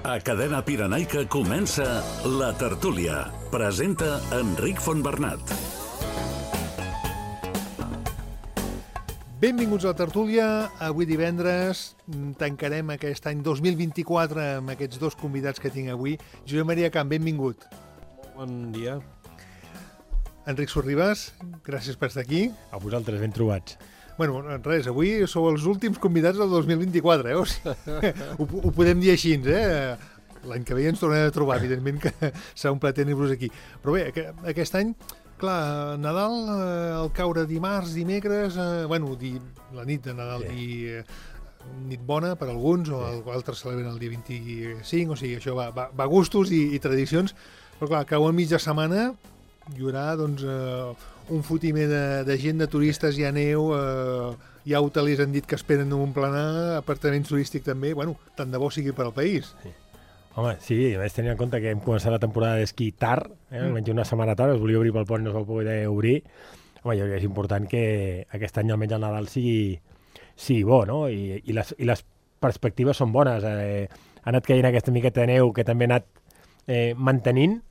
A Cadena Pirenaica comença La Tertúlia. Presenta Enric Fontbernat. Benvinguts a La Tertúlia. Avui divendres tancarem aquest any 2024 amb aquests dos convidats que tinc avui. Josep Maria Camp, benvingut. Bon dia. Enric Sorribas, gràcies per estar aquí. A vosaltres, ben trobats. Bueno, res, avui sou els últims convidats del 2024, O sigui, ho podem dir així, L'any que ve ens tornarem a trobar, evidentment que serà un plaer tenir-vos aquí. Però bé, aquest any, clar, Nadal, al caure dimarts, dimecres, la nit de Nadal i nit bona per alguns, o altres celebren el dia 25, o sigui, això va a gustos i tradicions, però clar, cau a mitja setmana, hi haurà, doncs, un fotimer de gent, de turistes, hi ha neu, hi ha hotelers han dit que esperen un planar, apartaments turístics també, bueno, tant de bo sigui per al país. Sí. Home, sí, a més tenint en compte que hem començat la temporada d'esquí tard, almenys una setmana tard, es volia obrir pel pont i no es va poder obrir. Home, jo crec que és important que aquest any almenys el Nadal sigui bo, no? I les perspectives són bones. Ha anat caient aquesta miqueta de neu que també ha anat mantenint.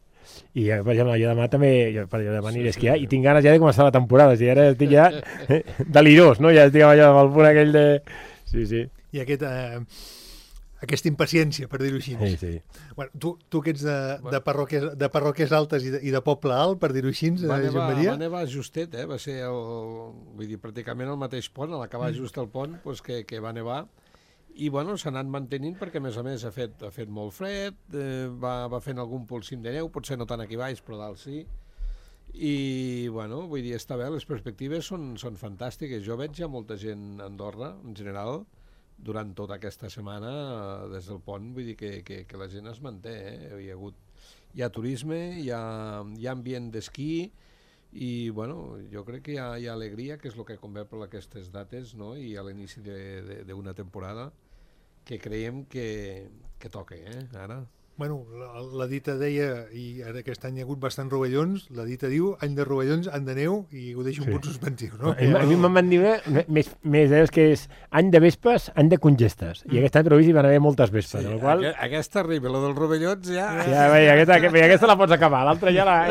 I, per exemple, jo demà també demà aniré a esquiar i tinc ganes ja de començar la temporada. O sigui, ara estic ja delirós, no? Ja estic allà amb el punt aquell de... Sí. I aquesta impaciència, per dir-ho així. Sí. Bueno, tu que ets de parròquies altes i de poble alt, per dir-ho així, Josep Maria? Va nevar justet, va ser pràcticament el mateix pont, a l'acabar just el pont, doncs que va nevar. I bueno, s'ha anat mantenint perquè, a més, ha fet molt fred, va fent algun polsim de neu, potser no tant aquí baix, però dalt sí. I, bueno, vull dir, està bé, les perspectives són fantàstiques. Jo veig ja molta gent a Andorra, en general, durant tota aquesta setmana, des del pont, vull dir que la gent es manté, Hi ha turisme, hi ha ambient d'esquí, i bueno, jo crec que hi ha alegria, que és el que convé per aquestes dates, no? I a l'inici d'una temporada que creiem que toca, ara. Bueno, la dita deia, i ara aquest any hi ha hagut bastant rovellons, la dita diu, any de rovellons, any de neu, i ho deixo un punt suspensiu, no? A mi me'n van dir més que és any de vespes, any de congestes. I aquest any previst hi van haver moltes vespes. Sí, qual... aquesta arriba, la dels rovellons ja... Ja, aquesta la pots acabar, l'altra ja la...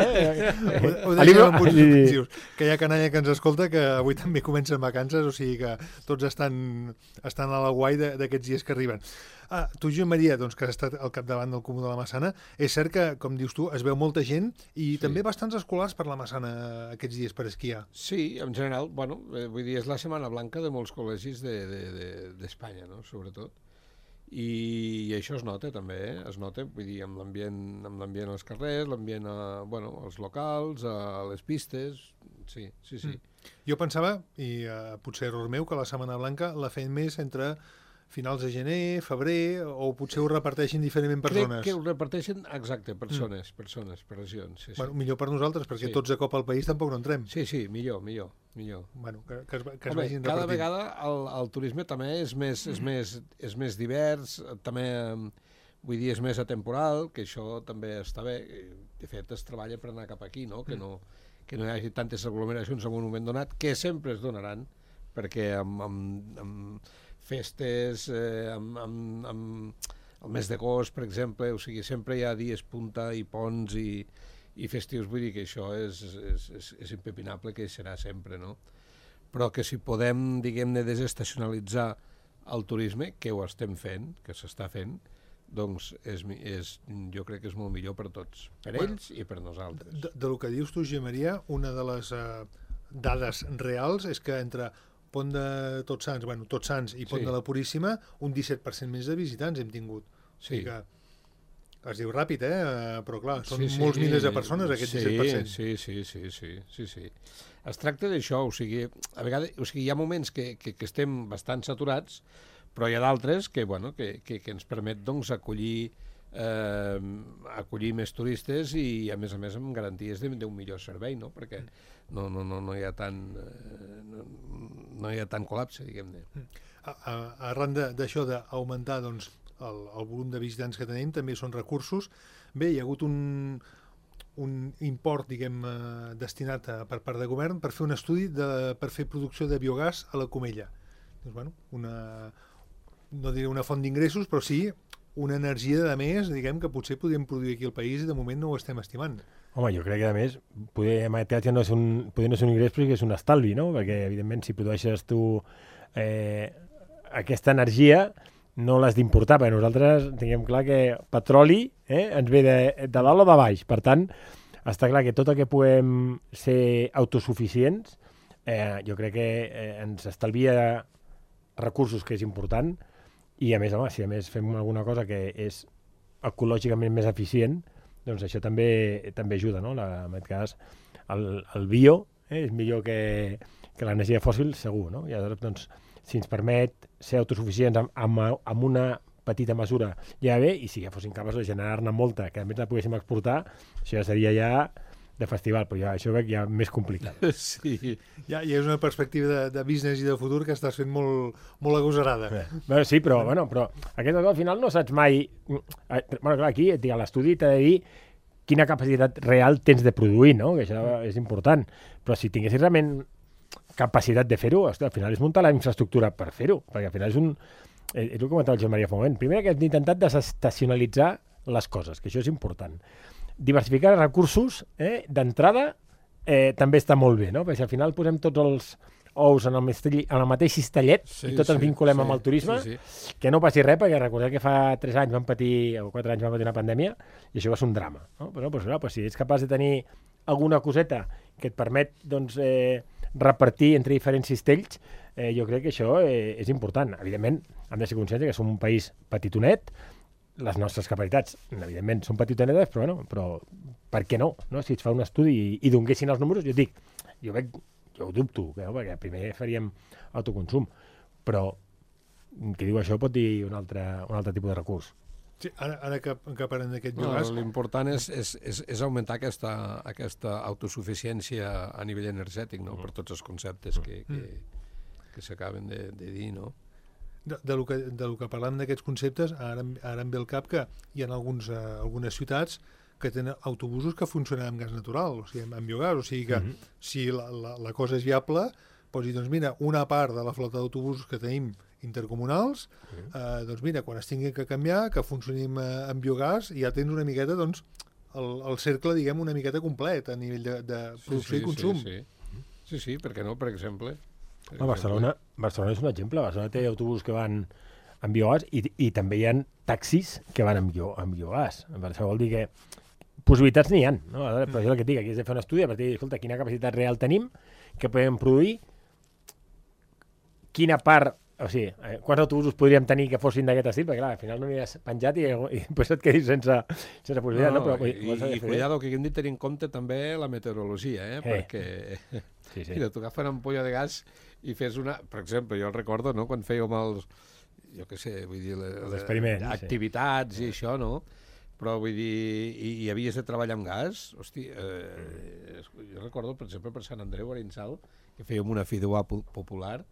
Ho deixem en punts suspensius. Que hi ha canalla que ens escolta, que avui també comencen vacances, o sigui que tots estan a la guai d'aquests dies que arriben. Tu, Josep Maria, doncs, que has estat al capdavant del Comú de la Massana, és cert que, com dius tu, es veu molta gent i també bastants escolars per la Massana aquests dies per esquiar. Sí, en general, bueno, vull dir, és la Setmana Blanca de molts col·legis d'Espanya, no?, sobretot. I això es nota també, es nota, vull dir, amb l'ambient als carrers, l'ambient als locals, a les pistes, sí. Jo pensava, i potser error meu, que la Setmana Blanca la feien més entre finals de gener, febrer, o potser ho reparteixen diferentment persones. Crec que ho reparteixen, exacte, persones, per regions. Sí. Bueno, millor per nosaltres, perquè tots a cop al país tampoc no entrem. Sí, millor. Bueno, que es vagin repartint. Cada vegada el turisme també és més divers, també, vull dir, és més atemporal, que això també està bé. De fet, es treballa per anar cap aquí, no? Que no hi hagi tantes aglomeracions en un moment donat, que sempre es donaran, perquè amb festes, el mes d'agost, per exemple, o sigui, sempre hi ha dies punta i ponts i festius, vull dir que això és impepinable, que serà sempre, no? Però que si podem, diguem-ne, desestacionalitzar el turisme, que ho estem fent, que s'està fent, doncs jo crec que és molt millor per tots, per ells i per nosaltres. Del que dius tu, Josep Maria, una de les dades reals és que entre Pont de Tots Sants i Pont de la Puríssima, un 17% més de visitants hem tingut. Sí. Que es diu ràpid, però clar, són molts milers de persones, aquest 17%. Sí. Es tracta d'això, o sigui, a vegades, hi ha moments que estem bastant saturats, però hi ha d'altres que ens permet, doncs, acollir més turistes i, a més, amb garanties d'un millor servei, no? Perquè no hi ha tant col·lapse, diguem-ne. Arran d'això d'augmentar, doncs, el volum de visitants que tenim, també són recursos. Bé, hi ha hagut un import, diguem, destinat per part de govern per fer un estudi per fer producció de biogàs a la Comella. Doncs, bueno, no diré una font d'ingressos, però sí una energia de més, diguem, que potser podríem produir aquí al país i de moment no ho estem estimant. Home, jo crec que, a més, poder ja no és un ingrés, però és un estalvi, no? Perquè, evidentment, si produeixes tu aquesta energia, no l'has d'importar, perquè nosaltres tinguem clar que petroli ens ve de dalt o de baix. Per tant, està clar que tot el que puguem ser autosuficients, jo crec que ens estalvia recursos, que és important, i a més, home, si a més fem alguna cosa que és ecològicament més eficient, doncs això també ajuda, no? En aquest cas, el bio és millor que l'energia fòssil, segur, no? I aleshores, doncs, si ens permet ser autosuficients amb una petita mesura ja bé, i si ja fossin capaços de generar-ne molta, que a més la poguéssim exportar, això ja seria ja de festival, però ja això veig ja més complicat. Sí. Ja és una perspectiva de business i de futur que estàs fent molt agosarada. Bé, sí, però aquesta cosa al final no saps mai... Clar, aquí a l'estudi t'ha de dir quina capacitat real tens de produir, no? Que això és important. Però si tinguessis realment capacitat de fer-ho, al final és muntar la infraestructura per fer-ho, perquè al final és el que comentava el Joan Maria fa un moment. Primer que hem intentat desestacionalitzar les coses, que això és important. Diversificar recursos, d'entrada, també està molt bé, no? Perquè si al final posem tots els ous en el mateix cistellet i tots ens vinculem amb el turisme, que no passi res, perquè recordeu que fa 3 anys vam patir, o 4 anys vam patir una pandèmia, i això va ser un drama. No? Però clar, si ets capaç de tenir alguna coseta que et permet repartir entre diferents cistells, jo crec que això és important. Evidentment, hem de ser conscients que som un país petitonet, les nostres capacitats, evidentment, són petitonetes, però per què no? Si es fa un estudi i donguessin els números, jo ho dubto, perquè primer faríem autoconsum, però qui diu això pot dir un altre tipus de recurs. Sí, ara que parlem d'aquest biogàs... L'important és augmentar aquesta autosuficiència a nivell energètic, no? Per tots els conceptes que s'acaben de dir, no? De lo que parlem d'aquests conceptes, ara em ve al cap que hi ha algunes ciutats que tenen autobusos que funcionen amb gas natural, o sigui, amb biogàs, o sigui que si la cosa és viable, pots dir, doncs mira, una part de la flota d'autobusos que tenim intercomunals, doncs mira, quan es tinguin que canviar, que funcionin amb biogàs, i ja tens una miqueta, doncs, el cercle, diguem, una miqueta complet a nivell de producció i consum. Sí, per què no, per exemple? Barcelona és un exemple. Barcelona té autobusos que van amb biogàs i també hi ha taxis que van amb biogàs. Això vol dir que possibilitats n'hi ha, no? Però això és el que et dic, aquí has de fer un estudi a partir de, escolta, quina capacitat real tenim, què podem produir, quina part, o sigui, quants autobusos podríem tenir que fossin d'aquest estil, perquè clar, al final no n'hi has penjat i després et quedis sense possibilitat, no? I cuidado, que hem de tenir en compte també la meteorologia, perquè mira, tu agafes una ampolla de gas i fes una... Per exemple, jo el recordo, no?, quan fèiem els... Jo què sé, vull dir... Els experiments. Activitats i això, no? Però vull dir... I havies de treballar amb gas. Hosti, jo recordo, per exemple, per Sant Andreu, a Arinsal, que fèiem una fideuà popular,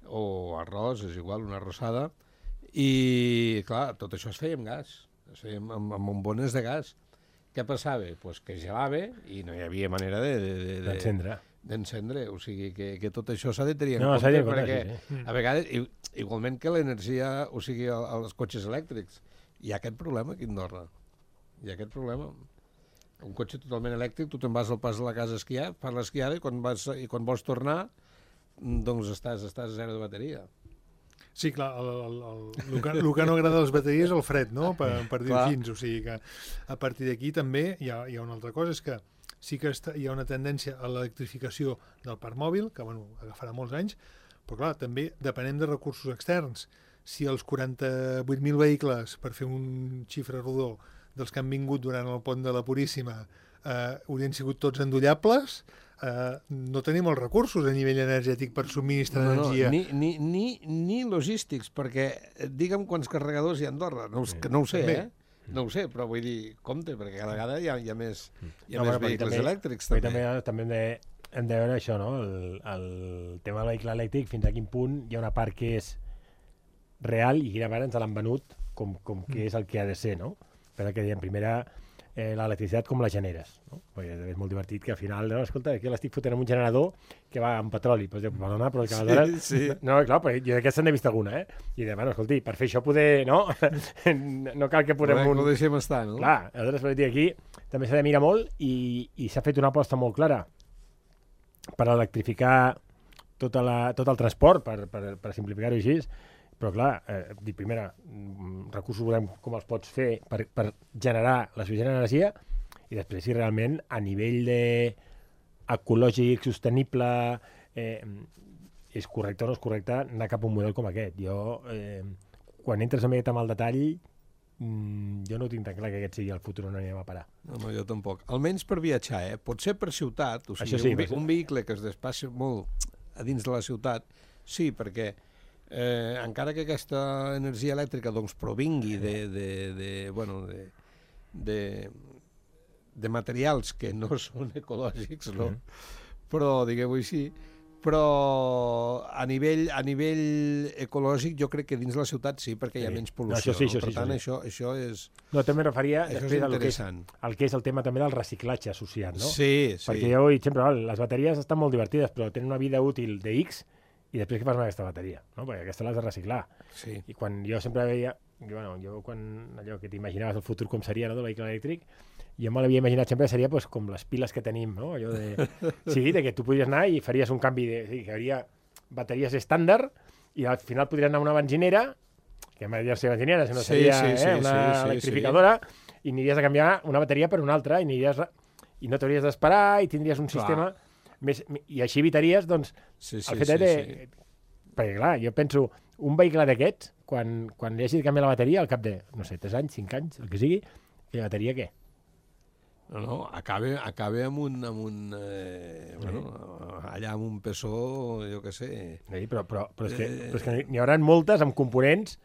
o arròs, és igual, una arrossada, i, clar, tot això es feia amb gas. Es feia amb bombones de gas. Què passava? Pues que gelava i no hi havia manera d'encendre, o sigui que tot això s'ha de tenir en compte, perquè a vegades, igualment que l'energia, o sigui, els cotxes elèctrics, hi ha aquest problema aquí a Andorra, hi ha aquest problema. Un cotxe totalment elèctric, tu te'n vas al pas de la casa a esquiar, fas l'esquiada i quan vols tornar, doncs estàs a zero de bateria. Sí, clar, el que no agrada a les bateries és el fred, no? Per dir fins, o sigui que a partir d'aquí també hi ha una altra cosa, és que sí que hi ha una tendència a l'electrificació del parc mòbil, que agafarà molts anys, però clar, també depenem de recursos externs. Si els 48.000 vehicles, per fer un xifre rodó, dels que han vingut durant el pont de la Puríssima, haurien sigut tots endollables, no tenim els recursos a nivell energètic per subministrar energia. Ni logístics, perquè digue'm quants carregadors hi ha a Andorra, no ho sé, no ho sé, però vull dir, compte, perquè cada vegada hi ha més vehicles elèctrics. També hem de veure això, no? El tema del vehicle elèctric, fins a quin punt hi ha una part que és real i quina part ens l'han venut com que és el que ha de ser, no? Però que diem, primera, l'electricitat com la generes, no? Perquè és molt divertit que al final, no, escolta, aquí l'estic fotent amb un generador que va amb petroli, pues, perdona, però aleshores... Sí. No, clar, perquè jo d'aquesta n'he vist alguna, I de, bueno, escolti, per fer això poder, no? No cal que posem un... Ho deixem estar, no? Clar, aleshores, per dir, aquí també s'ha de mirar molt i s'ha fet una aposta molt clara per electrificar tot el transport, per simplificar-ho així, però clar, primera, recursos volem com els pots fer per generar la suficient energia i després si realment a nivell ecològic, sostenible, és correcte o no és correcte anar cap a un model com aquest. Jo, quan entres amb el detall, jo no tinc tan clar que aquest sigui el futur on anem a parar. No, jo tampoc. Almenys per viatjar, Potser per ciutat, o sigui, sí, un vehicle que es desplaci molt a dins de la ciutat, sí, perquè encara que aquesta energia elèctrica doncs, provingui de materials que no són ecològics, no? Però, diguem-ho així, però a nivell ecològic jo crec que dins la ciutat sí, perquè hi ha menys pol·lució. Per tant, això és... No, també referia després al que és el tema també del reciclatge associat, no? Sí. Perquè jo, sempre, les bateries estan molt divertides, però tenen una vida útil de X i després què fas amb aquesta bateria? No? Perquè aquesta l'has de reciclar. Sí. I quan jo sempre veia... jo quan allò que t'imaginaves el futur com seria, no, del vehicle elèctric, jo me l'havia imaginat sempre seria pues, com les piles que tenim, no? Allò de... Sí, de que tu podries anar i faries un canvi que hi hauria bateries estàndard i al final podries anar a una benzinera, que m'agradaria ser benzinera, si no seria una electrificadora, i aniries a canviar una bateria per una altra i no t'hauries d'esperar i tindries un sistema més... I així evitaries, doncs, el fet de... Perquè, clar, jo penso, un vehicle d'aquests, quan li hagi de canviar la bateria, al cap de, no sé, 3 anys, 5 anys, el que sigui, la bateria què? No, acaba amb un allà amb un peso, jo què sé... Sí, però és que n'hi haurà moltes amb components,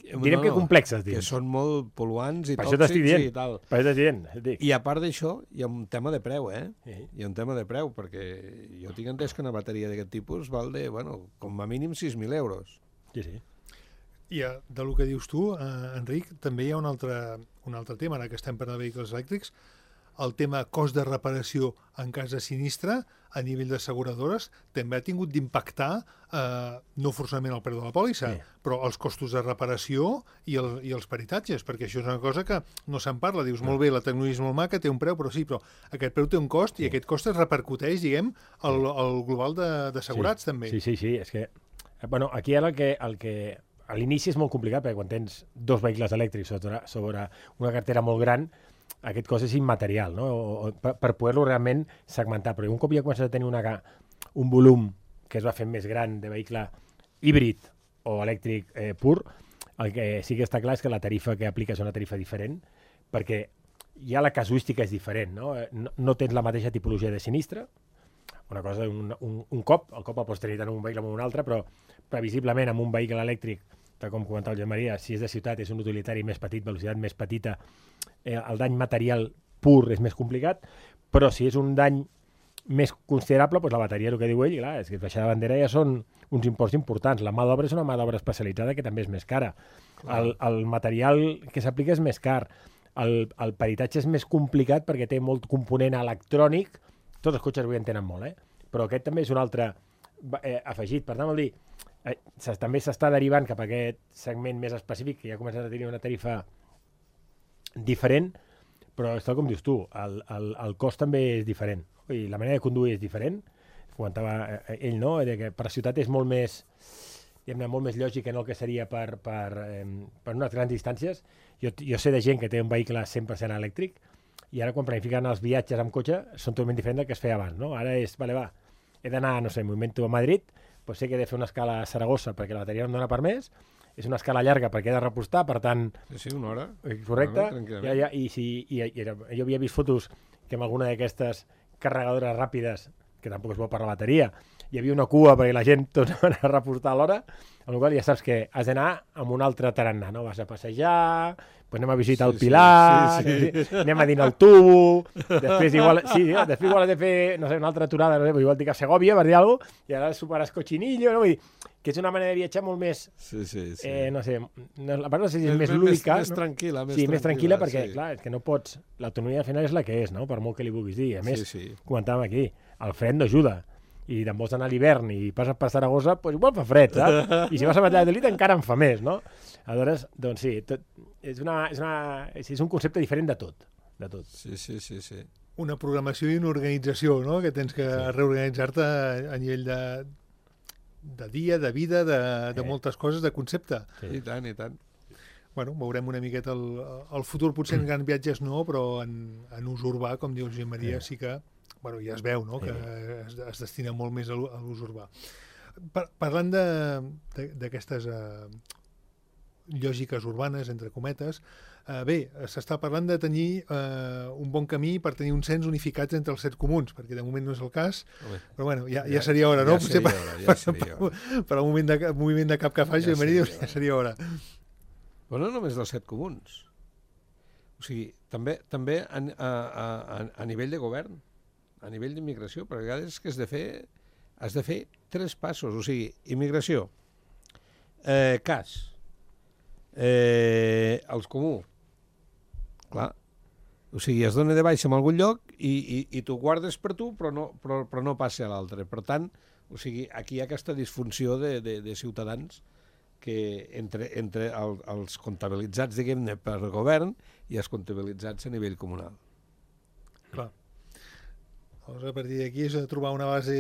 direm que complexes, que són molt pol·luants i tòxics i tal. Per això t'estic dient. I a part d'això, hi ha un tema de preu, Sí. Hi ha un tema de preu, perquè jo tinc entès que una bateria d'aquest tipus val de, com a mínim 6.000 euros. Sí. I del que dius tu, Enric, també hi ha un altre tema, ara que estem parlant de vehicles elèctrics, el tema cost de reparació en cas de sinistre a nivell d'asseguradores també ha tingut d'impactar no forçament el preu de la pòlissa, però els costos de reparació i els peritatges, perquè això és una cosa que no se'n parla. Dius, molt bé, la tecnologia és molt maca, té un preu, però aquest preu té un cost i aquest cost es repercuteix, diguem, al global d'assegurats també. Sí, és que... aquí ara el que a l'inici és molt complicat, perquè quan tens 2 vehicles elèctrics sobre una cartera molt gran, aquest cost és immaterial, no? Per poder-lo realment segmentar. Però un cop ja comences a tenir un volum que es va fent més gran de vehicle híbrid o elèctric pur, el que sí que està clar és que la tarifa que aplica és una tarifa diferent, perquè ja la casuística és diferent, no? No tens la mateixa tipologia de sinistre, una cosa, un cop, el cop el pots tenir tant en un vehicle com en un altre, però previsiblement amb un vehicle elèctric, tal com comentava el Joan Maria, si és de ciutat és un utilitari més petit, velocitat més petita, el dany material pur és més complicat, però si és un dany més considerable, doncs la bateria, el que diu ell, clar, és que baixar la bandera ja són uns imports importants. La mà d'obra és una mà d'obra especialitzada que també és més cara. El material que s'aplica és més car. El peritatge és més complicat perquè té molt component electrònic. Tots els cotxes avui en tenen molt, però aquest també és un altre afegit. Per tant, vol dir, també s'està derivant cap a aquest segment més específic, que ja comença a tenir una tarifa diferent, però és tal com dius tu, el cost també és diferent. I la manera de conduir és diferent. Comentava ell, no?, que per ciutat és molt més, molt més lògic que no el que seria per unes grans distàncies. Jo sé de gent que té un vehicle 100% elèctric i ara quan planifiquen els viatges amb cotxe són totalment diferents del que es feia abans, no? Ara és, he d'anar, no sé, m'invento a Madrid, doncs sé que he de fer una escala a Saragossa perquè la bateria no em dona per més, és una escala llarga perquè he de repostar, per tant... Sí, una hora. Correcte. Jo havia vist fotos que amb alguna d'aquestes carregadores ràpides que tampoc és bo per la bateria. Hi havia una cua perquè la gent tots van a reportar a l'hora, amb la qual ja saps que has d'anar amb un altre tarannà, no? Vas a passejar, pues anem a visitar el Pilar, anem a dinar al tubo, després igual has de fer, no sé, una altra aturada, no sé, igual dic a Segòvia, per dir alguna cosa, i ara superes Cochinillo, no? Vull dir, que és una manera de viatjar molt més, no sé, la part no sé si és més lúdica. Més tranquil·la. Sí, més tranquil·la perquè, clar, és que no pots... L'autonomia al final és la que és, no? Per molt que li vulguis dir. A més, comentàvem aquí, el fred no ajuda. I te'n vols anar a l'hivern i passes per Saragossa, doncs igual fa fred, saps? I si vas a Valladolid encara en fa més, no? Aleshores, doncs sí, és un concepte diferent de tot. Sí. Una programació i una organització, no? Que tens que reorganitzar-te a nivell de dia, de vida, de moltes coses, de concepte. I tant. Bueno, veurem una miqueta el futur, potser en grans viatges no, però en ús urbà, com diu Josep Maria, sí que bueno, ja es veu, no?, que es destina molt més a l'ús urbà. Parlant d'aquestes lògiques urbanes, entre cometes, bé, s'està parlant de tenir un bon camí per tenir un cens unificats entre els 7 comuns, perquè de moment no és el cas, però bueno, ja seria hora, no? Per al moviment de cap que faci, ja seria hora. Però no només dels 7 comuns. O sigui, també a nivell de govern, a nivell d'immigració, perquè a vegades que has de fer 3 passos, o sigui, immigració, cas, els comú, clar, o sigui, es dona de baixa en algun lloc i tu guardes per tu, però no passa a l'altre. Per tant, o sigui, aquí hi ha aquesta disfunció de ciutadans que entre els comptabilitzats, diguem-ne, per govern i els comptabilitzats a nivell comunal. Clar. Llavors, a partir d'aquí és de trobar una base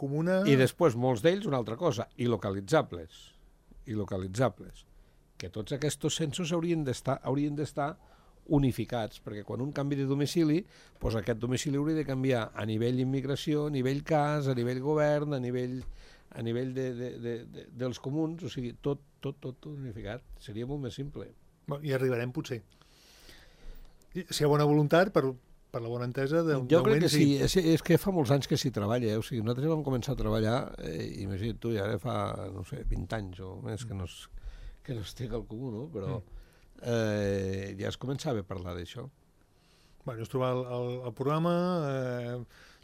comuna... I després, molts d'ells, una altra cosa, i localitzables. Que tots aquests censos haurien d'estar unificats, perquè quan un canvi de domicili, doncs aquest domicili hauria de canviar a nivell immigració, a nivell cas, a nivell govern, a nivell dels comuns, o sigui, tot unificat. Seria molt més simple. I arribarem, potser. Si hi ha bona voluntat, per la bona entesa... Jo crec que sí, és que fa molts anys que s'hi treballa, o sigui, nosaltres vam començar a treballar, imagina't tu, ja ara fa, no sé, 20 anys o més que no estic al comú, no? Però ja es començava a parlar d'això. Bueno, és trobar el programa,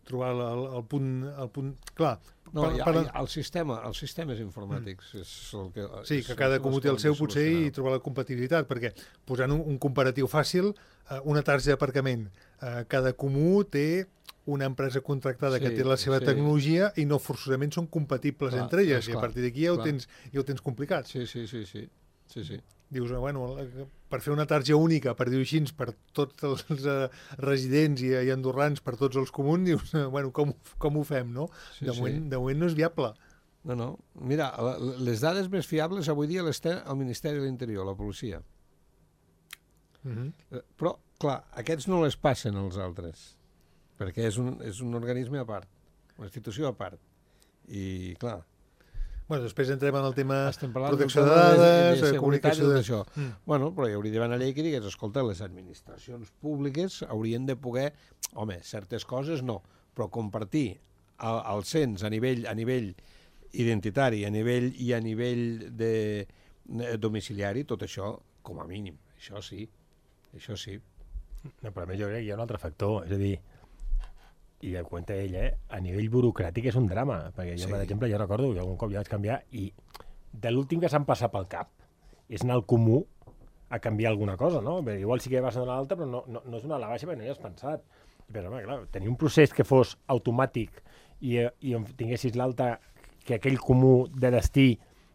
trobar el punt... Clar... No, els sistemes informàtics és el que... Sí, que cada comú té el seu, potser, i trobar la compatibilitat, perquè posant un comparatiu fàcil, una targeta d'aparcament, cada comú té una empresa contractada que té la seva tecnologia i no forçosament són compatibles entre elles, i a partir d'aquí ja ho tens complicat. Sí. Dius, bueno, per fer una targeta única, per dir-ho així, per tots els residents i andorrans, per tots els comuns, dius, bueno, com ho fem, no? De moment no és viable. No. Mira, les dades més fiables avui dia les té el Ministeri de l'Interior, la policia. Però, clar, aquests no les passen als altres, perquè és un organisme a part, una institució a part. I, clar... Bueno, després entrem en el tema protecció de dades, comunicació d'això. Bueno, però hi hauria d'haver una llei que digués, escolta, les administracions públiques haurien de poder, home, certes coses no, però compartir el cens a nivell identitari, a nivell de domiciliari, tot això, com a mínim. Això sí. No, però a més jo crec que hi ha un altre factor, és a dir, i ho comenta ell, a nivell burocràtic és un drama, perquè jo, per exemple, jo recordo que algun cop ja vaig canviar i de l'últim que s'han passat pel cap és anar al comú a canviar alguna cosa, no? Perquè igual sí que vas a donar l'altra, però no és una a la baixa perquè no hi has pensat. Però, home, clar, tenir un procés que fos automàtic i tinguessis l'alta, que aquell comú de destí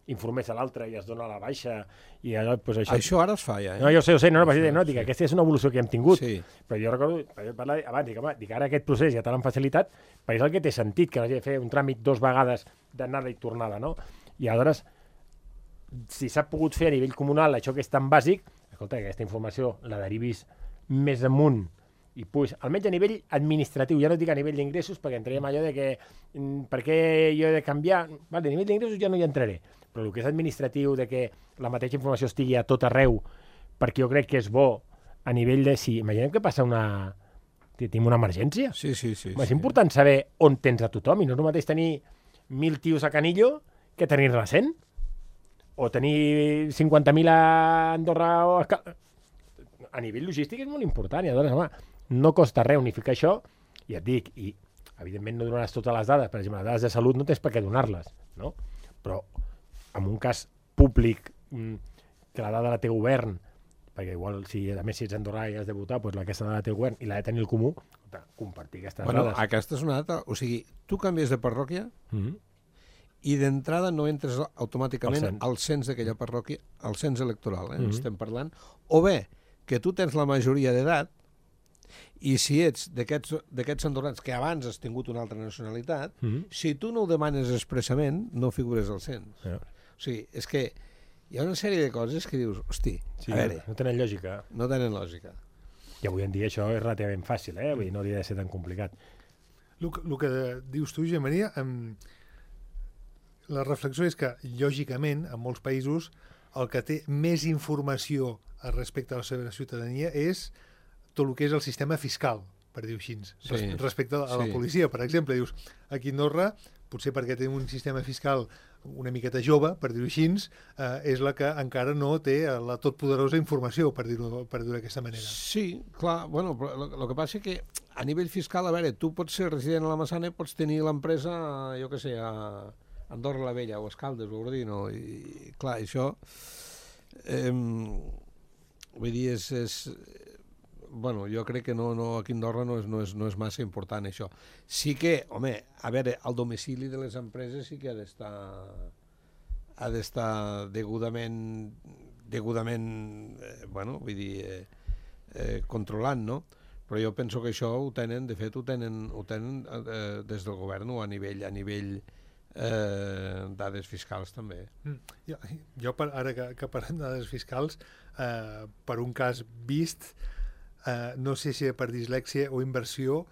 informés a l'altre i es dona a la baixa i allò, doncs això ara es fa ja, No, jo sé, dic, aquesta és una evolució que hem tingut, però jo recordo, parlar abans, dic, ara aquest procés ja te l'han facilitat, perquè és el que té sentit, que no hagi de fer un tràmit 2 vegades d'anada i tornada, no? I aleshores, si s'ha pogut fer a nivell comunal això que és tan bàsic, escolta, aquesta informació la derivis més amunt i pues, almenys a nivell administratiu, ja no dic a nivell d'ingressos, perquè entraríem allò de que per què jo he de canviar, vale, a nivell d'ingressos ja no hi entraré, però el que és administratiu, de que la mateixa informació estigui a tot arreu, perquè jo crec que és bo a nivell de... Si imaginem que passa tenim una emergència. Sí. És important saber on tens a tothom, i no és el mateix tenir 1.000 tios a Canillo que tenir-ne 100. O tenir 50.000 a Andorra o a nivell logístic és molt important. I aleshores, home, no costa res unificar això, i et dic, i evidentment no donaràs totes les dades, per exemple, les dades de salut no tens per què donar-les, no? Però en un cas públic que la dada la té govern, perquè igual, a més si ets andorrà i has de votar, doncs aquesta dada la té el govern i l'ha de tenir el comú, compartir aquestes dades. Aquesta és una data, o sigui, tu canvies de parròquia i d'entrada no entres automàticament al cens d'aquella parròquia, al cens electoral, estem parlant, o bé que tu tens la majoria d'edat i si ets d'aquests andorrans que abans has tingut una altra nacionalitat, si tu no ho demanes expressament, no figures al cens. O sigui, és que hi ha una sèrie de coses que dius, hosti, a veure... No tenen lògica. No tenen lògica. I avui en dia això és relativament fàcil, Vull dir, no hauria de ser tan complicat. El que dius tu, Gemmaria, la reflexió és que, lògicament, en molts països, el que té més informació respecte a la seva ciutadania és tot el que és el sistema fiscal, per dir-ho així. Respecte a la policia, per exemple, dius, aquí a Andorra, potser perquè tenim un sistema fiscal una miqueta jove, per dir-ho així, és la que encara no té la totpoderosa informació, per dir-ho d'aquesta manera. Sí, clar, bueno, però el que passa és que a nivell fiscal, a veure, tu pots ser resident a la Massana i pots tenir l'empresa, jo què sé, a Andorra la Vella o a Escaldes o a Ordino, i clar, això vull dir, bueno, jo crec que no, aquí a Andorra no és massa important això. Sí que, home, a veure, el domicili de les empreses sí que ha d'estar degudament bueno, vull dir, controlant, no? Però jo penso que això ho tenen, de fet, ho tenen des del govern o a nivell dades fiscals també. Jo ara que parlem de dades fiscals, per un cas vist, no sé si per dislèxia o inversió,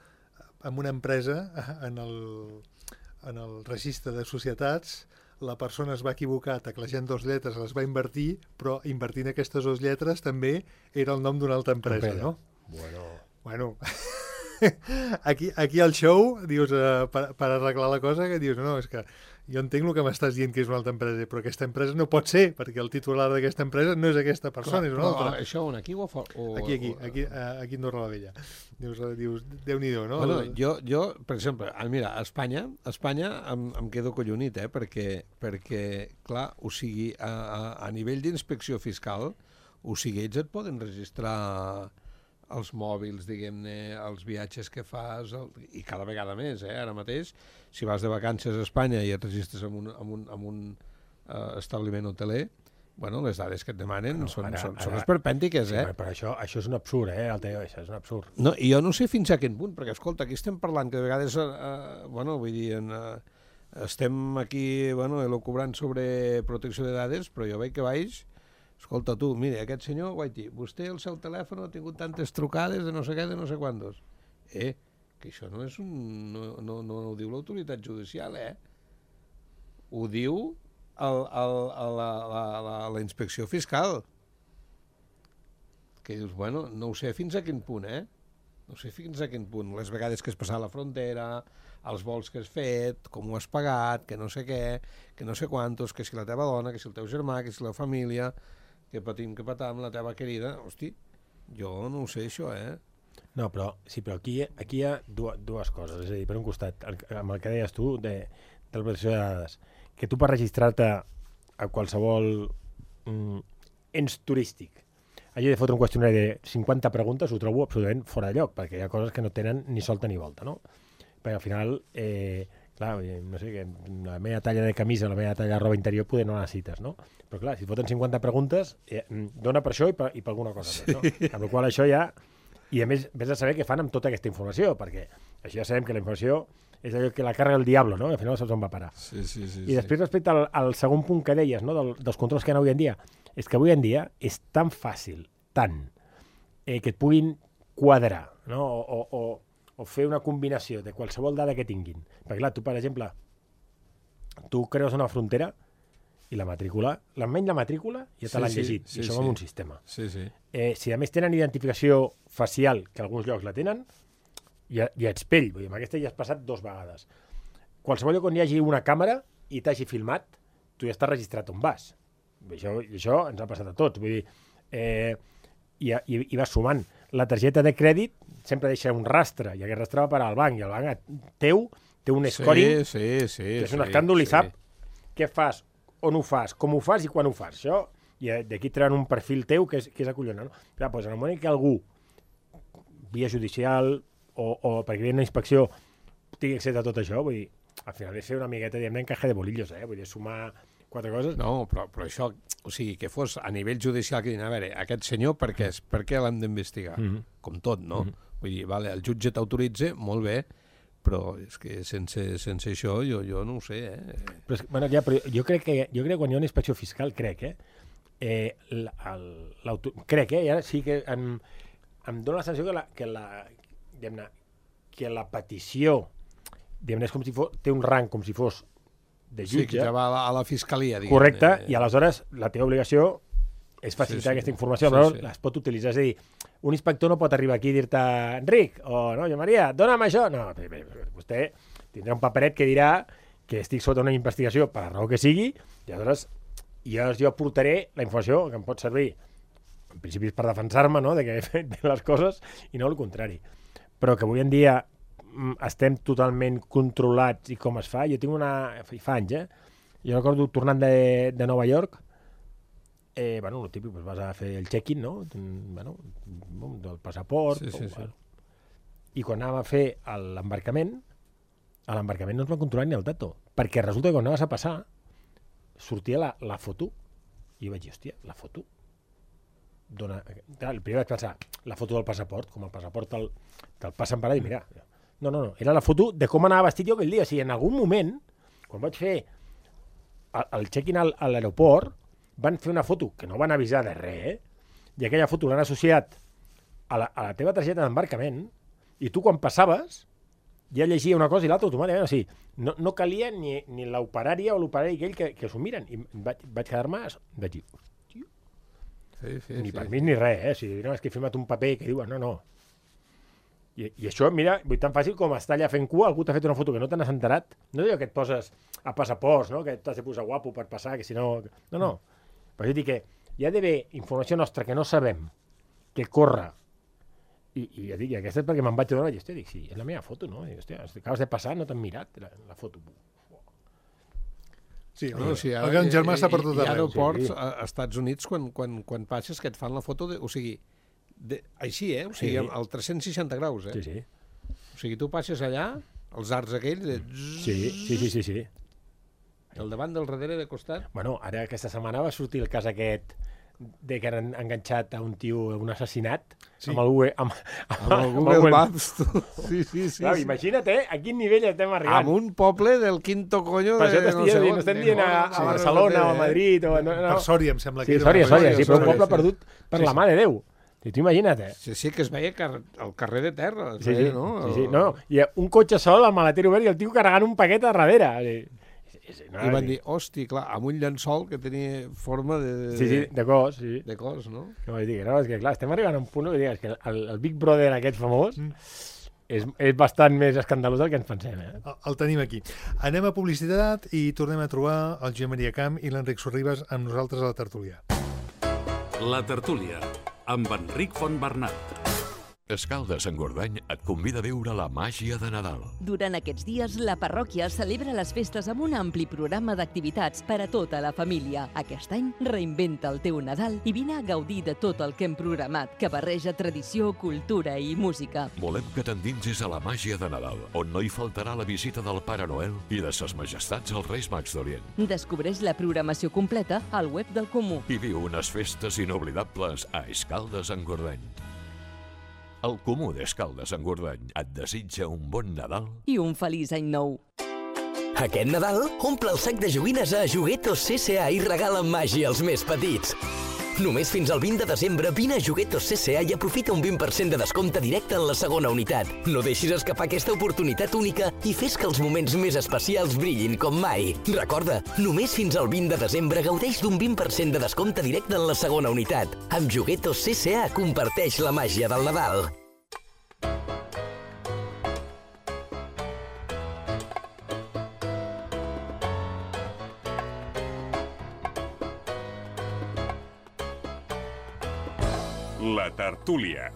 en una empresa, en el registre de societats, la persona es va equivocar teclejant 2 lletres, les va invertir, però invertint aquestes 2 lletres també era el nom d'una altra empresa, no? Bueno, aquí al show, dius, per arreglar la cosa, que dius, no, és que jo entenc el que m'estàs dient que és una altra empresa, però aquesta empresa no pot ser, perquè el titular d'aquesta empresa no és aquesta persona, és una altra. Això on, aquí o a fora? Aquí a Andorra la Vella. Dius, Déu-n'hi-do, no? Bueno, jo, per exemple, mira, a Espanya em quedo collonit, perquè, clar, o sigui, a nivell d'inspecció fiscal, o sigui, ells et poden registrar els mòbils, diguem-ne, els viatges que fas, i cada vegada més, ara mateix, si vas de vacances a Espanya i et registres en un establiment hoteler, bueno, les dades que et demanen són esperpèntiques, Però això és un absurd, això és un absurd. No, i jo no sé fins a quin punt, perquè, escolta, aquí estem parlant que de vegades, bueno, vull dir, estem aquí, bueno, elucubrant sobre protecció de dades, però jo veig que baix. Escolta, tu, mira, aquest senyor, guaiti, vostè el seu telèfon ha tingut tantes trucades de no sé què, de no sé quantos. Que això no és no ho diu l'autoritat judicial, Ho diu la inspecció fiscal. Que dius, bueno, no ho sé fins a quin punt, No sé fins a quin punt. Les vegades que has passat la frontera, els vols que has fet, com ho has pagat, que no sé què, que no sé quantos, que si la teva dona, que si el teu germà, que si la família... que patim, que patam, la teva querida, hosti, jo no ho sé, això, No, però aquí hi ha dues coses, és a dir, per un costat, amb el que deies tu, de la protecció de dades, que tu per registrar-te a qualsevol ens turístic hagi de fotre un qüestionari de 50 preguntes, ho trobo absolutament fora de lloc, perquè hi ha coses que no tenen ni solta ni volta, no? Perquè al final... clar, no sé, la meva talla de camisa, la meva talla de roba interior poder no necessites, no? Però clar, si et foten 50 preguntes, dona per això i per alguna cosa més, no? Amb la qual això ja... I a més, vés a saber què fan amb tota aquesta informació, perquè això ja sabem que la informació és allò que la carrega el diablo, no? Al final saps on va parar. Sí. I després, respecte al segon punt que deies, no? Dels controls que hi ha avui en dia, és que avui en dia és tan fàcil, que et puguin quadrar, no? O fer una combinació de qualsevol dada que tinguin. Perquè, clar, tu, per exemple, tu creus una frontera i la matrícula, almenys la matrícula ja te l'han llegit, i això va en un sistema. Sí. Si a més tenen identificació facial, que alguns llocs la tenen, ja ets pell. Vull dir, amb aquesta ja has passat 2 vegades. Qualsevol lloc on hi hagi una càmera i t'hagi filmat, tu ja estàs registrat on vas. Això ens ha passat a tots. Vull dir, i vas sumant. La targeta de crèdit sempre deixa un rastre, i aquest rastre va parar al banc, i el banc teu té un scoring, que és un escàndol, i sap què fas, on ho fas, com ho fas i quan ho fas. Això, i d'aquí treuen un perfil teu que és acollonant. No? Clar, doncs en el moment que algú, via judicial o perquè hi ha una inspecció, tingui accés a tot això, vull dir, al final és fer una miqueta, diguem-ne, encaje de bolillos, vull dir, sumar 4 coses. No, però això, o sigui, que fos a nivell judicial que diuen, a veure, aquest senyor per què l'hem d'investigar? Com tot, no? Vull dir, vale, el jutge t'autoritza, molt bé, però és que sense això jo no ho sé, Però, bueno, ja, però jo crec que quan hi ha una inspecció fiscal, crec, i ara sí que em dóna la sensació que la petició, diguem-ne, és com si té un rang com si fos de jutge. Sí, que ja va a la fiscalia, diguem. Correcte, i aleshores la teva obligació és facilitar aquesta informació, però es pot utilitzar. És a dir, un inspector no pot arribar aquí i dir-te Enric, o no, jo Maria, dona'm això. No, vostè tindrà un paperet que dirà que estic sota una investigació per la raó que sigui, i aleshores jo aportaré la informació que em pot servir, en principi és per defensar-me, no?, de que he fet bé les coses, i no el contrari. Però que avui en dia estem totalment controlats i com es fa. Jo tinc fa anys, jo recordo tornant de Nova York, el típic, vas a fer el check-in, no? Del passaport. I quan anàvem a fer l'embarcament, a l'embarcament no ens van controlar ni el dato, perquè resulta que quan anaves a passar sortia la foto, i jo vaig dir, hòstia, la foto el primer vaig pensar, la foto del passaport, com el passaport te'l passen per allà, i mira, no, era la foto de com anava vestit jo aquell dia. O sigui, en algun moment, quan vaig fer el check-in a l'aeroport, van fer una foto que no van avisar de res, i aquella foto l'han associat a la teva targeta d'embarcament, i tu quan passaves ja llegia una cosa i l'altra automàticament. O sigui, no calia ni l'operària o l'operari aquell que s'ho miren. I vaig quedar-me, vaig dir, ni permís ni res, O sigui, no, és que he firmat un paper que diuen, no. I això, mira, tan fàcil com estar allà fent cua, algú t'ha fet una foto que no te n'has enterat. No és allò que et poses a passaports, no?, que t'has de posar guapo per passar, que si no... No. Però jo dic que hi ha d'haver informació nostra que no sabem, que corre, i ja dic, aquesta és perquè me'n vaig adonar, i dic, sí, és la meva foto, no? I, hòstia, acabes de passar, no t'han mirat la foto. Sí, el gran germà està per tot arreu. Hi ha aeroports als Estats Units quan passes que et fan la foto, o sigui, així, o sigui, al 360 graus, Sí. O sigui, tu passes allà, els arcs aquells... Sí. El davant, del darrere, de costat... Bueno, ara aquesta setmana va sortir el cas aquest de que han enganxat a un tio un assassinat amb el Google Maps. Sí. Clar, imagina't, a quin nivell estem arribant. Amb un poble del quinto coño... Per això no estem dient a Barcelona o a Madrid... Per Sòria, em sembla que era. Sòria, però un poble perdut per la mà de Déu. I tu imagina't, Sí, que es veia al carrer de terra. Sí. No, i un cotxe sol, el maleter obert i el tio carregant un paquet a darrere. I van dir, hosti, clar, amb un llençol que tenia forma de... de cos, sí. De cos, no? No, és que clar, estem arribant a un punt que el Big Brother aquest famós és bastant més escandalós del que ens pensem. El tenim aquí. Anem a publicitat i tornem a trobar el Josep Maria Camp i l'Enric Sorribas amb nosaltres a la tertúlia. La tertúlia, amb Enric Fontbernat. Escaldes-Engordany et convida a viure la màgia de Nadal. Durant aquests dies, la parròquia celebra les festes amb un ampli programa d'activitats per a tota la família. Aquest any, reinventa el teu Nadal i vine a gaudir de tot el que hem programat, que barreja tradició, cultura i música. Volem que t'endinsis a la màgia de Nadal, on no hi faltarà la visita del Pare Noel i de ses majestats els Reis Mags d'Orient. Descobreix la programació completa al web del Comú. I viu unes festes inoblidables a Escaldes-Engordany. El Comú d'Escaldes-Engordany et desitja un bon Nadal i un feliç any nou. Aquest Nadal, omple el sac de joguines a Juguetos CCA i regala màgia als més petits. Només fins al 20 de desembre vine a Juguetos CCA i aprofita un 20% de descompte directe en la segona unitat. No deixis escapar aquesta oportunitat única i fes que els moments més especials brillin com mai. Recorda, només fins al 20 de desembre gaudeix d'un 20% de descompte directe en la segona unitat. Amb Juguetos CCA comparteix la màgia del Nadal. La tertúlia.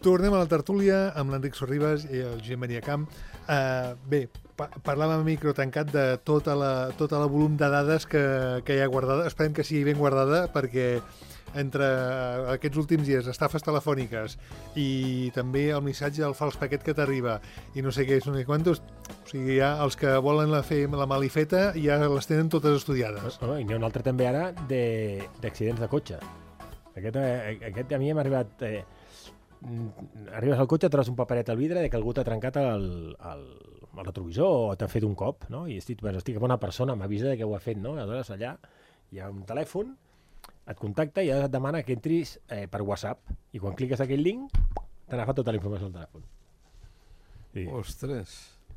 Tornem a la tertúlia amb l'Enric Sorribas i el Josep Maria Camp. Bé, parlàvem a micro tancat de tota la volum de dades que hi ha guardada. Esperem que sigui ben guardada, perquè entre aquests últims dies, estafes telefòniques i també el missatge del fals paquet que t'arriba i no sé què, no sé quantos, o sigui, ja els que volen fer la malifeta ja les tenen totes estudiades. I n'hi ha un altre també ara d'accidents de cotxe. Aquest a mi m'ha arribat... Arribes al cotxe, trobes un paperet al vidre de que algú t'ha trencat el retrovisor o t'ha fet un cop, no? I estic amb una persona, m'avisa que ho ha fet, no? Aleshores allà hi ha un telèfon, et contacta i et demana que entris per WhatsApp, i quan cliques aquell link t'ha agafat tota la informació del telèfon. Sí. Ostres.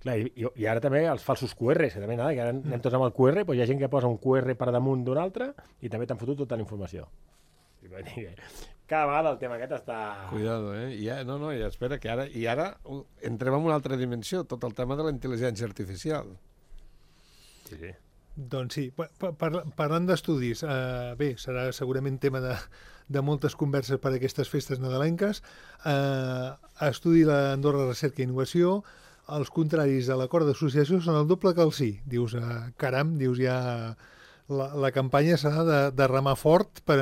Clar, i ara també els falsos QRs, que també que ara anem tots amb el QR, doncs hi ha gent que posa un QR per damunt d'un altre i també t'han fotut tota la informació. Cada vegada el tema aquest està... Cuidado, ja espera, que ara entrem en una altra dimensió, tot el tema de la intel·ligència artificial. Sí. Doncs sí, parlant d'estudis, bé, serà segurament tema de moltes converses per a aquestes festes nadalenques. Estudi l'Andorra Recerca i Innovació, els contraris a l'acord d'associació són el doble que el sí. Dius, caram, ja la campanya s'ha de remar fort per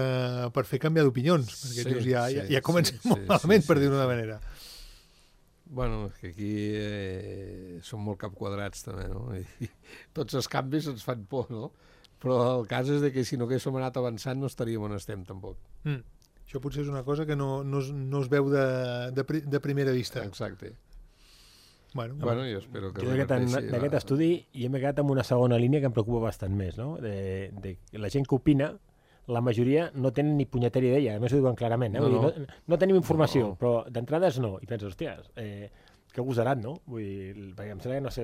fer canviar d'opinions, perquè dius, ja comencem molt malament, per dir-ho d'una manera. Bueno, que aquí són molt capquadrats també, no? I tots els canvis ens fan por, no? Però el cas és que si no haguéssim anat avançant no estaríem on estem, tampoc. Això potser és una cosa que no es veu de primera vista. Exacte. Bueno, jo espero que... D'aquest estudi jo m'he quedat amb una segona línia que em preocupa bastant més, no? De la gent que opina, la majoria no tenen ni punyetera idea, a més ho diuen clarament, no tenim informació, però d'entrades no, i penses, hòsties, que gosarat, no? Vull dir, perquè em sembla que, no sé,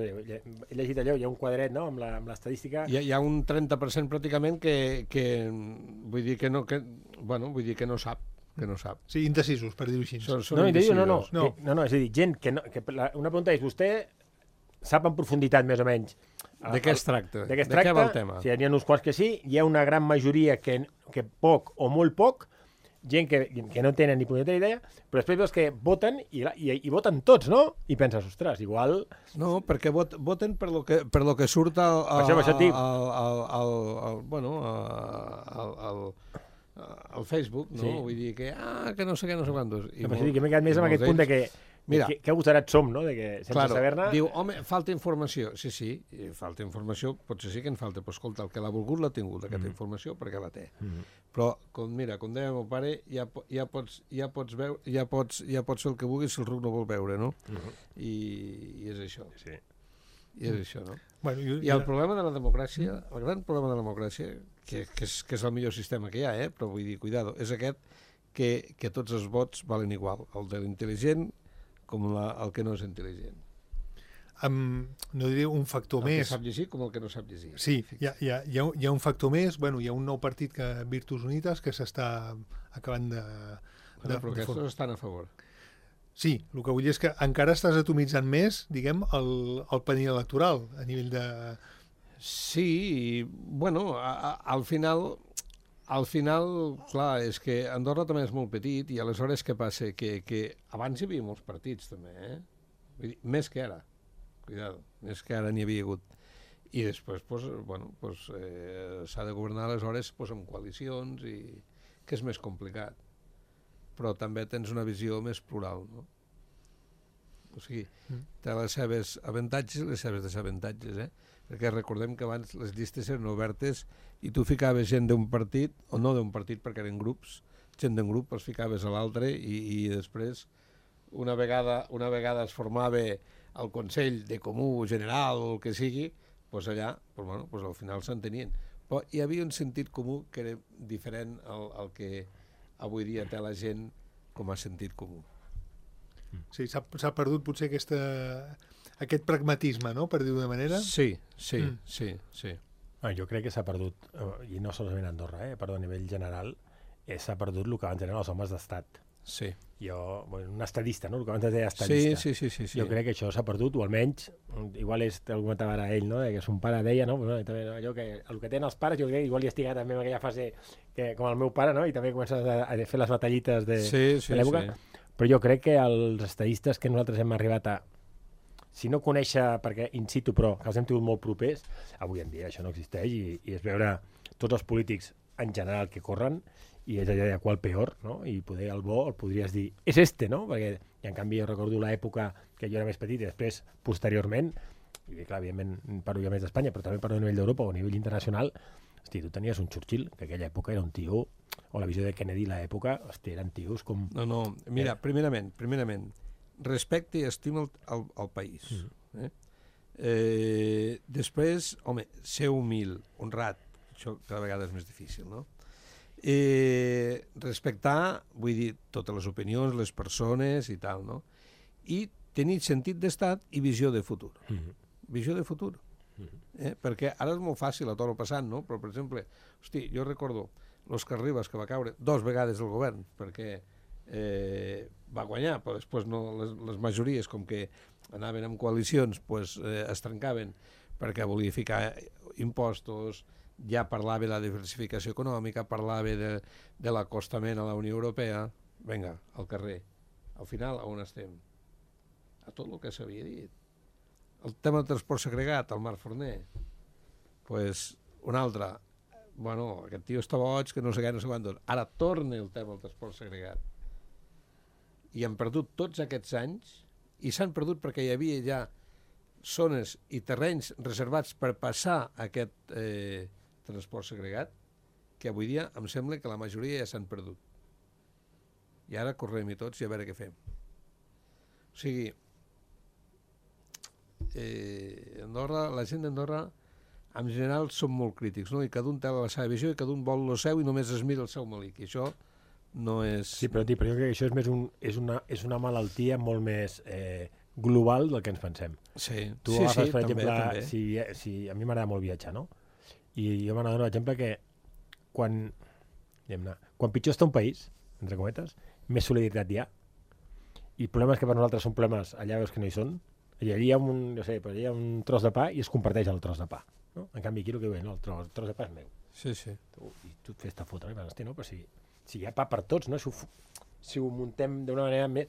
he llegit allò, hi ha un quadret, no?, amb l'estadística... Hi ha un 30% pràcticament que vull dir que no sap. Sí, indecisos, per dir-ho així. No, és a dir, gent que una pregunta és, vostè sap en profunditat, més o menys, de què es tracta? De què va el tema? Sí, n'hi ha uns quants que sí, hi ha una gran majoria que poc o molt poc, gent que no tenen ni punyetera idea, però després veus que voten i voten tots, no? I penses, ostres, igual... No, perquè voten per lo que surt al Facebook, no? Vull dir que no sé què, no sé quantos. Que m'he quedat més amb aquest punt de que que agosarats som, no? De que sense saber-ne... Diu, home, falta informació. Sí, falta informació, potser sí que en falta, però escolta, el que l'ha volgut l'ha tingut, aquesta informació, perquè la té. Però, com deia meu pare, ja pots veure, ja pots fer el que vulguis si el ruc no vol veure, no? I és això. Sí. I és això, no? I el problema de la democràcia, el gran problema de la democràcia, que és el millor sistema que hi ha, però vull dir, cuidado, és aquest que tots els vots valen igual, el de l'intel·ligent com el que no és intel·ligent. No diré un factor més... El que sap llegir com el que no sap llegir. Sí, hi ha un factor més, hi ha un nou partit, Virtus Unitas, que s'està acabant de... Però aquests estan a favor. Sí, el que vull dir és que encara estàs atomitzant més, diguem, el panell electoral, a nivell de... Sí, bueno, al final, clar, és que Andorra també és molt petit i aleshores què passa? Que abans hi havia molts partits també, Vull dir, més que ara, cuidado, més que ara n'hi havia hagut. I després, s'ha de governar aleshores amb coalicions, i que és més complicat. Però també tens una visió més plural, no? O sigui, té les seves avantatges i les seves desavantatges, Perquè recordem que abans les llistes eren obertes i tu ficaves gent d'un partit, o no d'un partit perquè eren grups, gent d'un grup els ficaves a l'altre i després una vegada es formava el Consell de Comú General o el que sigui, allà al final s'entenien. Però hi havia un sentit comú que era diferent al que avui dia té la gent com a sentit comú. Sí, s'ha perdut potser aquest pragmatisme, no?, per dir-ho d'una manera. Sí. Jo crec que s'ha perdut, i no solament a Andorra, però a nivell general, s'ha perdut el que abans eren els homes d'estat. Sí. Jo, bueno, un estadista, no? El que abans es deia estadista. Sí. Jo crec que això s'ha perdut, o almenys, igual és, el comentava ara ell, no? Que son pare deia, no? Pues, també, no? Allò que, el que tenen els pares, jo crec que igual hi estic també en aquella fase que, com el meu pare, no? I també comences a fer les batallites de l'època. Sí. Però jo crec que els estadistes que nosaltres hem arribat a, si no conèixer, perquè in situ, però que els hem tingut molt propers, avui en dia això no existeix i és veure tots els polítics en general que corren i és allò de qual peor, no? I poder el bo el podries dir, és este, no? Perquè, i en canvi, jo recordo l'època que jo era més petit i després, posteriorment, i clar, evidentment parlo ja més d'Espanya, però també parlo a nivell d'Europa o a nivell internacional, hosti, tu tenies un Churchill, que aquella època era un tio, o la visió de Kennedy a l'època, hosti, eren tios com... No, mira, primerament, respecte i estima el país. Després, home, ser humil, honrat, això cada vegada és més difícil, no? Respectar, vull dir, totes les opinions, les persones i tal, no? I tenir sentit d'estat i visió de futur. Visió de futur. Perquè ara és molt fàcil a tot el passat, no? Però, per exemple, hosti, jo recordo l'Òscar Rivas, que va caure 2 vegades del govern, perquè va guanyar, però després no, les majories, com que anaven amb coalicions, pues, es trencaven perquè volia ficar impostos, ja parlava de la diversificació econòmica, parlava de l'acostament a la Unió Europea. Vinga, al carrer. Al final, on estem? A tot el que s'havia dit. El tema del transport segregat, el Marc Forner. Pues, un altre. Bueno, aquest tio està boig, que no sé què, no sé quantos. Ara torna el tema del transport segregat. I han perdut tots aquests anys, i s'han perdut perquè hi havia ja zones i terrenys reservats per passar aquest transport segregat, que avui dia em sembla que la majoria ja s'han perdut. I ara correm-hi tots i a veure què fem. O sigui, Andorra, la gent d'Andorra, en general, són molt crítics, no? I cada un té la seva visió i cada un vol el seu i només es mira el seu malic. I això no és... Sí, però jo crec que això és més és una malaltia molt més global del que ens pensem. Sí, tu agafes, per també, exemple, si a mi m'agrada molt viatjar, no? I jo m'agrada, per exemple, que quan pitjor està un país, entre cometes, més solidaritat hi ha. I el problema és que per nosaltres són problemes, allà veus que no hi són, i allà hi ha allà hi ha un tros de pa i es comparteix el tros de pa. No? En canvi, aquí el que diuen, no, el tros de pa és meu. Sí. I tu et fes-te fotre, no? Però si hi ha pa per tots, no? Si ho muntem d'una manera més...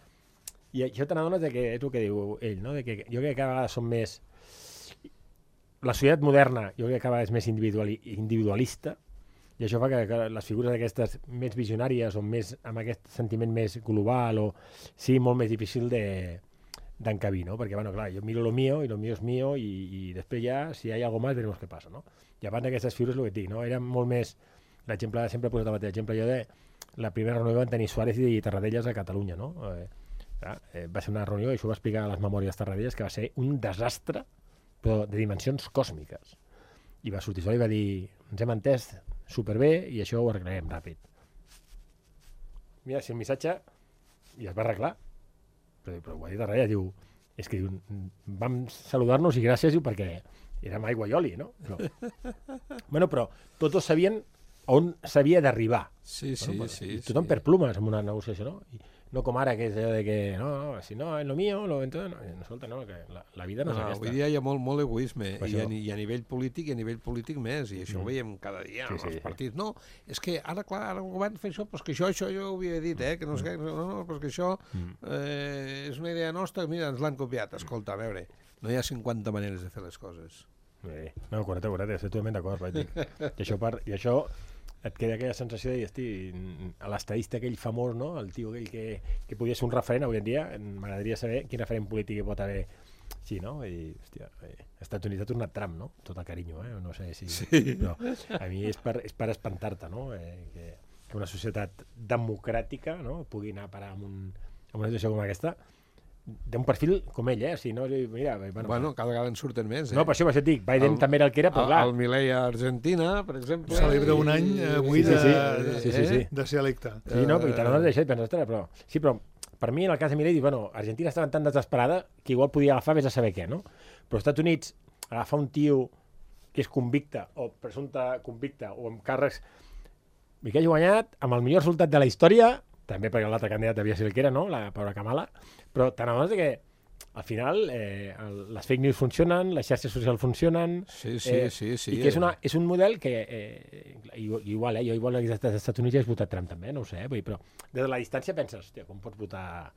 I això te n'adones que és el que diu ell, no? De que jo crec que cada vegada som més... La societat moderna jo crec que cada vegada és més individualista i això fa que les figures aquestes més visionàries o més amb aquest sentiment més global o sigui molt més difícil d'encabir, no? Perquè, bueno, clar, jo miro lo mío i lo mío és mío i després ja, si hi ha algo más, veremos què passa, no? I abans d'aquestes figures, el que et dic, no? Era molt més... L'exemple, sempre he posat el mateix exemple jo de la primera reunió van tenir Suárez i Tarradellas a Catalunya, no? Va ser una reunió, i això ho va explicar a les memòries Tarradellas, que va ser un desastre però de dimensions còsmiques. I va sortir sol i va dir, ens hem entès superbé i això ho arreglarem ràpid. Mira, si el missatge i es va arreglar, però ho ha dit Tarradellas, diu, és que diu, vam saludar-nos i gràcies, diu, perquè érem aigua i oli, no? Però tots sabien on s'havia d'arribar. Sí. Tothom per plumes en una negociació, no? I no com ara, que és allò de que no, si no, en lo mío, entonces, no, escolta, no, que la vida no és aquesta. Avui dia hi ha molt egoisme, i a nivell polític més, i això ho veiem cada dia en els partits. No, és que ara, clar, ara el govern fa això, però que això jo ho havia dit, que no sé què, no, però que això és una idea nostra, mira, ens l'han copiat. Escolta, a veure, no hi ha 50 maneres de fer les coses. No, correcte, estic totalment d'acord, i això et queda aquella sensació de dir, hosti, l'estadista aquell famós, no? El tio aquell que podia ser un referent avui en dia, m'agradaria saber quin referent polític hi pot haver. Sí, no? I, hòstia, als Estats Units ha tornat Trump, no? Tot el carinyo, no sé si... Sí. Però a mi és per espantar-te, no? Que una societat democràtica, no? Pugui anar a parar amb una situació com aquesta, d'un perfil com ell, si no, mira... Bueno, cada vegada en surten més, No, per això et dic, Biden també era el que era, però clar... El Milei a Argentina, per exemple... Celebra un any avui de ser electe. Sí, no, però i t'adones d'això i penses, però... Sí, però per mi, en el cas de Milei, Argentina estava tan desesperada que igual podia agafar vés a saber què, no? Però als Estats Units, agafar un tio que és convicte o presumpte convicte o amb càrrecs i que hagi guanyat amb el millor resultat de la història, també perquè l'altre candidat devia ser el que era, no? La pobra Kamala, però tant abans que al final les fake news funcionen, les xarxes socials funcionen, Sí. i que és un model que igual, jo igual als Estats Units ja he votat Trump també, no ho sé, vull dir, però des de la distància penses, hòstia, com pots votar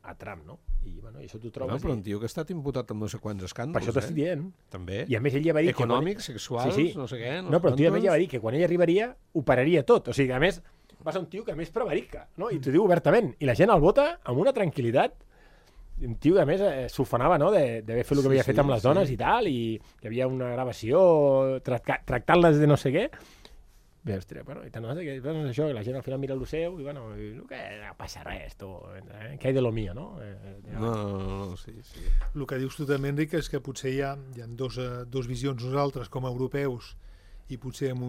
a Trump, no? I bueno, això t'ho trobes... No, però un tio que ha estat imputat amb no sé quants escàndols, per això t'estic dient. També. I a més ell ja va dir... Econòmics, sexuals, no sé què. No, però el tio a més ja va dir que quan ell arribaria ho pararia tot. O sigui, a més, va ser un tio que a més prevarica, no? I t'ho diu obertament. I la gent el vota amb una tranquil·litat. Un tio que a més s'ufanava, no?, d'haver fet el que havia fet amb les dones i tal, i que hi havia una gravació tractant-les de no sé què. Bé, ostres, bueno, i tant no sé què, doncs això, la gent al final mira el seu i, bueno, que no passa res, tu, que hay de lo mío, no? No, sí. El que dius tu també, Enric, és que potser hi ha dos visions nosaltres com a europeus i potser amb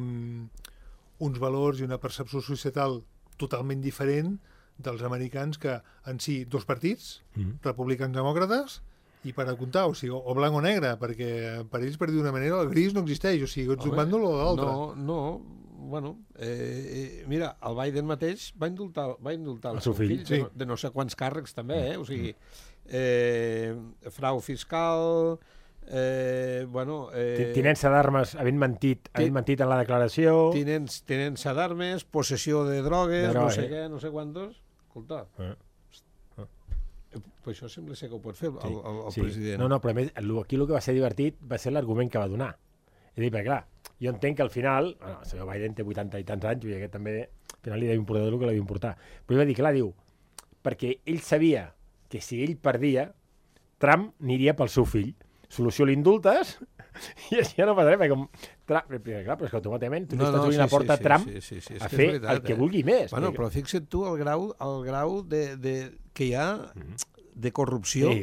uns valors i una percepció societal totalment diferent dels americans, que en si dos partits, republicans demòcrates, i per a comptar, o sigui, o blanc o negre, perquè per ells, per dir d'una manera, el gris no existeix, o sigui, ets d'un bàndol o de l'altre. No, bueno, mira, el Biden mateix va indultar el seu fill sí. de no sé quants càrrecs també, o sigui, frau fiscal, bueno... tinença d'armes, havent mentit en la declaració... Tinença d'armes, possessió de drogues, no sé què, no sé quantos... Escolta, però això sembla ser que ho pot fer el president. No, però a més, aquí el que va ser divertit va ser l'argument que va donar. És a dir, perquè clar, jo entenc que al final, el senyor Biden té 80 i tants anys, i aquest també al final li deu importar el que li deu importar. Però ell va dir, clar, diu, perquè ell sabia que si ell perdia, Trump aniria pel seu fill. Solució, l'indultes, i així ja no passarà, perquè com... Clar, però és que automàticament tu estàs obrint la porta a Trump a fer el que vulgui més. Bueno, però fixa't tu el grau que hi ha de corrupció,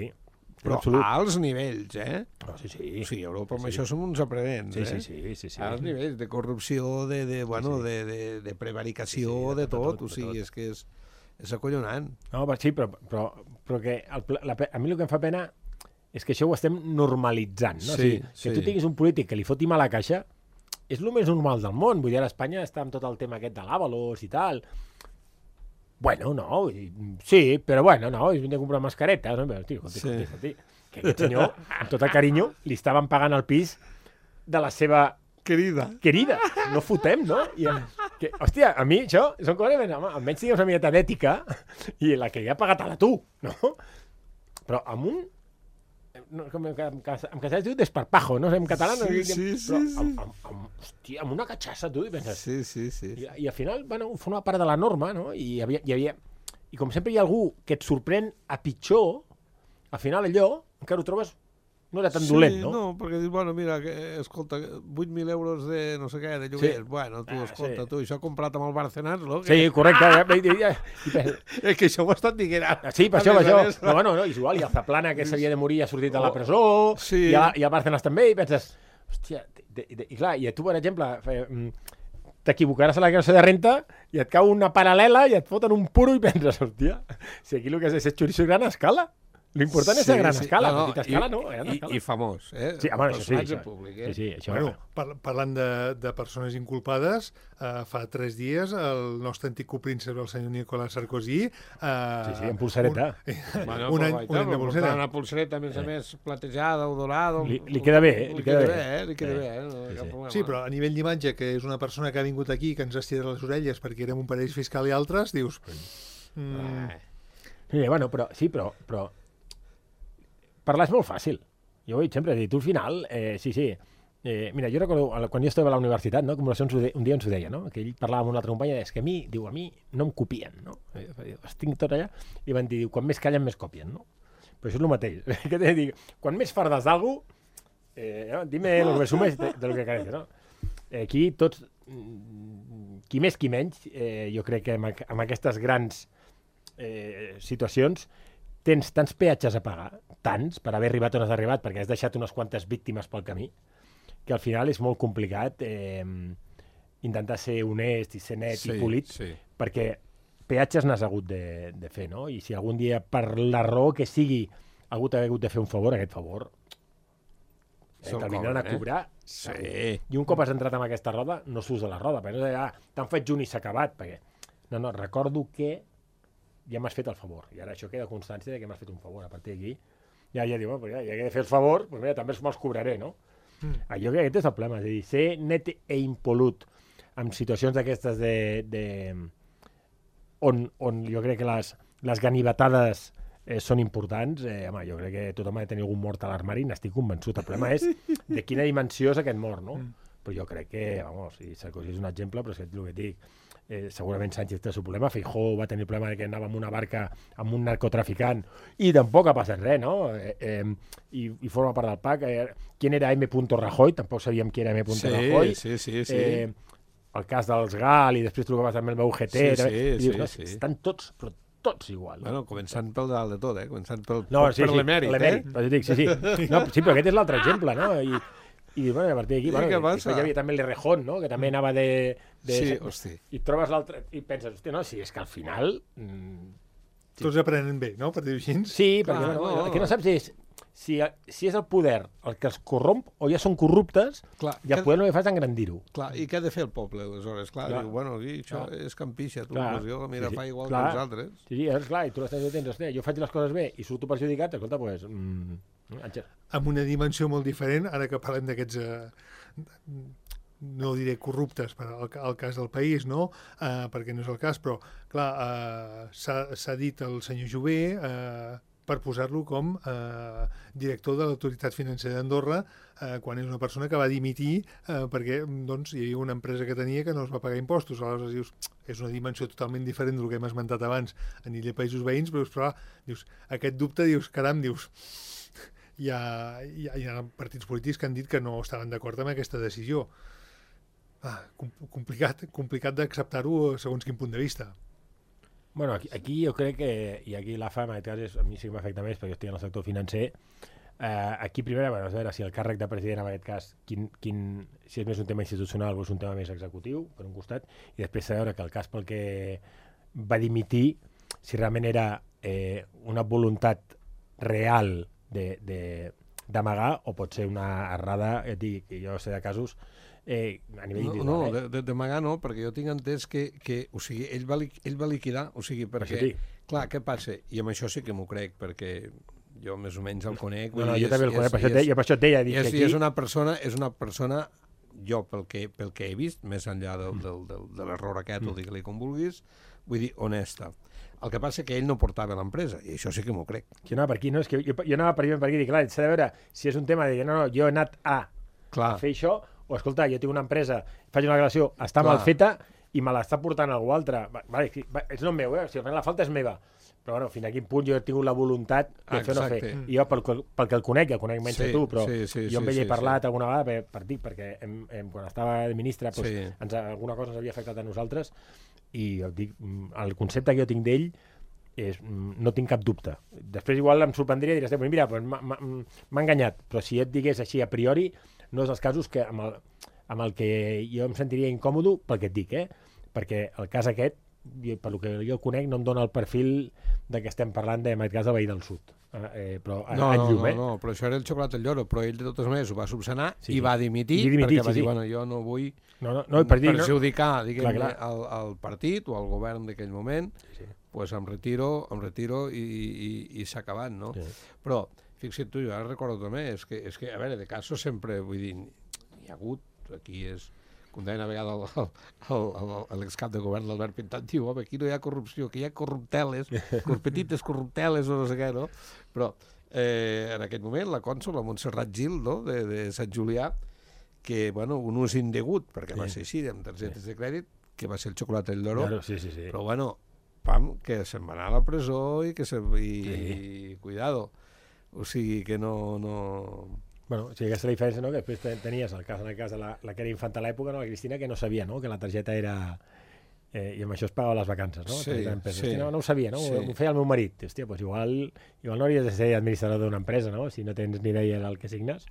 però a alts nivells, Oh, sí. O sigui, a Europa amb això som uns aprenents, Sí. A alts nivells de corrupció, de prevaricació, de tot, o sigui, és que és acollonant. No, sí, però que a mi el que em fa pena és que això ho estem normalitzant, no? Sí, o sigui, que tu tinguis un polític que li foti mal a la caixa és el més normal del món. Vull dir, a Espanya està amb tot el tema aquest de l'Avalos i tal. Bueno, no, sí, però bueno, no, és venir a comprar mascaretes, no? Però, tio, escolti, que aquest senyor, amb tot el carinyo, li estaven pagant el pis de la seva... Querida. No fotem, no? Hòstia, a mi això són coses, almenys tingues una miqueta d'ètica i la que li ha pagat a la tu, no? Però amb un... en castellà es diu desparpajo, no sé, en català no sí. Hòstia, amb una catxassa, tu, i penses... Sí. I al final, bueno, forma part de la norma, no? I hi havia... I com sempre hi ha algú que et sorprèn a pitjor, al final allò encara ho trobes... No era tan dolent, no? No, perquè dius, bueno, mira, escolta, 8.000 euros de no sé què, de lloguer, bueno, tu, escolta, tu, això comprat amb el Bárcenas, no? Sí, correcte. És que això ho ha estat dient ara. Sí, per això. No, bueno, no, és igual, i el Zaplana, que s'havia de morir, ha sortit de la presó, i el Bárcenas també, i penses, hòstia, i clar, i tu, per exemple, t'equivocaràs a la declaració de renta i et cau una paral·lela i et foten un puro i penses, hòstia, si aquí el que és xoriço a gran escala. L'important és a gran escala, a petita escala, no? I famós, Sí, home, això públic, sí, això. Bueno, parlant de persones inculpades, fa 3 dies el nostre antic copríncep, el senyor Nicolas Sarkozy... Sí, en pulsareta. Un any de pulsera. Una pulsereta, a més, platejada o dorada... Li queda bé, li queda bé. Sí, però a nivell d'imatge, que és una persona que ha vingut aquí, que ens estira les orelles perquè érem un parell fiscal i altres, dius... Sí, bueno, però parlar és molt fàcil. Jo ho he dit sempre, tu al final, mira, jo recordo, quan jo estava a la universitat, no, Acumulacions, un dia ens ho deia, no? Que ell parlava amb una altra companya, és que a mi no em copien, no? Estic tot allà, i van dir, quan més callen, més copien, no? Però això és el mateix. Què t'he de dir? Quan més fardes d'algú, dime lo que me sumes de lo que carece, no? Aquí tots, qui més, qui menys, jo crec que amb aquestes grans situacions tens tants peatges a pagar, tants, per haver arribat on has arribat, perquè has deixat unes quantes víctimes pel camí, que al final és molt complicat intentar ser honest i ser net i polit, perquè peatges n'has hagut de fer, no? I si algun dia, per la raó que sigui, ha hagut de fer un favor, aquest favor te'l vindran a cobrar. Sí. I un cop has entrat en aquesta roda, no surts de la roda, perquè no t'han fet junt i s'ha acabat, perquè... No, recordo que ja m'has fet el favor. I ara això queda constància de que m'has fet un favor. A partir d'aquí, ja diu, ja que he de fer el favor, doncs mira, també me'ls cobraré, no? Jo crec que aquest és el problema, és a dir, ser net e impolut en situacions d'aquestes on jo crec que les ganivetades són importants, home, jo crec que tothom ha de tenir algun mort a l'armari, n'estic convençut. El problema és de quina dimensió és aquest mort, no? Però jo crec que, vamos, i Sarkozy és un exemple, però és que el que et dic, segurament Sánchez té el seu problema, Feijóo va tenir el problema que anava amb una barca amb un narcotraficant i tampoc ha passat res, no? I forma part del PAC. Qui era M. Rajoy? Tampoc sabíem qui era M. Rajoy. Sí. El cas dels GAL i després tu el que vas amb el UGT. Sí. Estan tots, però tots igual. Bueno, començant pel dalt de tot, començant per l'emèrit. Però dic, sí. No, sí, però aquest és l'altre exemple, no? I bueno, a partir d'aquí, hi havia també l'Errejón, no? Que també anava de... Sí, hosti. I trobes l'altre, i penses, hòstia, no, si és que al final... Tots aprenen bé, no? Per dir-ho així. Sí, perquè el que no saps és si és el poder el que els corromp o ja són corruptes, i el poder no li fas engrandir-ho. Clar, i què ha de fer el poble, aleshores? Clar, diu, bueno, això és campixa, tu, jo, mira, fa igual que els altres. Sí, és clar, i tu l'estàs dient, hòstia, jo faig les coses bé i surto perjudicat, escolta, doncs... Amb una dimensió molt diferent, ara que parlem d'aquests... no diré corruptes per al cas del país, no? Perquè no és el cas, però, clar, s'ha dit el senyor Jové per posar-lo com director de l'autoritat financera d'Andorra quan és una persona que va dimitir perquè doncs, hi havia una empresa que tenia que no es va pagar impostos. Aleshores dius, és una dimensió totalment diferent del que hem esmentat abans a nivell de països veïns, però dius, aquest dubte, dius, caram, dius... Hi ha partits polítics que han dit que no estaven d'acord amb aquesta decisió. Complicat d'acceptar-ho segons quin punt de vista. Bueno, aquí jo crec que, i aquí l'AFA, en aquest cas, a mi sí que m'afecta més, perquè jo estic en el sector financer, aquí primer, a veure si el càrrec de president, en aquest cas, si és més un tema institucional o és un tema més executiu, per un costat, i després saber que el cas pel que va dimitir, si realment era una voluntat real d'amagar o pot ser una errada, jo sé de casos a nivell individual. No, d'amagar no, perquè jo tinc entès que o sigui, ell va liquidar, o sigui, perquè, clar, què passa? I amb això sí que m'ho crec, perquè jo més o menys el conec. No, jo també el conec, per això et deia. I és una persona, jo pel que he vist, més enllà de l'error aquest, o digue-li com vulguis, vull dir, honesta. El que passa que ell no portava l'empresa, i això sí que m'ho crec. Jo anava per aquí, no? És que jo anava per aquí, i clar, s'ha de veure si és un tema de dir, no, jo he anat a fer això, o escolta, jo tinc una empresa, faig una relació, està mal feta, i me l'està portant algú altre. Vale, és no meu, si la falta és meva. Però bueno, fins a quin punt jo he tingut la voluntat de fer o no fer. I jo, pel que el conec menys que tu, però jo amb ell he parlat alguna vegada per dir, perquè quan estava de ministre alguna cosa ens havia afectat a nosaltres, i jo dic, el concepte que jo tinc d'ell no tinc cap dubte. Després igual em sorprendria i diries, mira, m'ha enganyat, però si et digués així a priori, no és els casos que amb el que jo em sentiria incòmodo pel que et dic, perquè el cas aquest, per lo que jo conec, no em dona el perfil de què estem parlant en aquest cas del veí del sud. Però no, però això era el xocolat al lloro, però ell de totes maneres ho va subsanar i va dimitir, perquè va dir, bueno, jo no vull perjudicar el partit o el govern d'aquell moment, doncs em retiro i s'ha acabat, no? Però, fixa't tu, jo ara recordo també, és que, a veure, de casos sempre, vull dir, hi ha hagut, aquí és... Com deia una vegada l'excap de govern, l'Albert Pintat, diu, home, aquí no hi ha corrupció, aquí hi ha corrupteles, petites corrupteles o no sé què, no? Però en aquest moment la cònsol, la Montserrat Gil, no?, de Sant Julià, que, bueno, un ús indegut, perquè va ser així, amb targetes de crèdit, que va ser el xocolat del lloro, però, bueno, que se'n va anar a la presó i cuidado. O sigui que no... Bueno, sí, aquesta és la diferència, no?, que després tenies en el cas de la que era infant a l'època, no?, la Cristina, que no sabia, no?, que la targeta era... I amb això es pagava les vacances, no? Sí. No ho sabia, no? Ho feia el meu marit. Hòstia, doncs igual no hauries de ser administrador d'una empresa, no?, si no tens ni idea del que signes.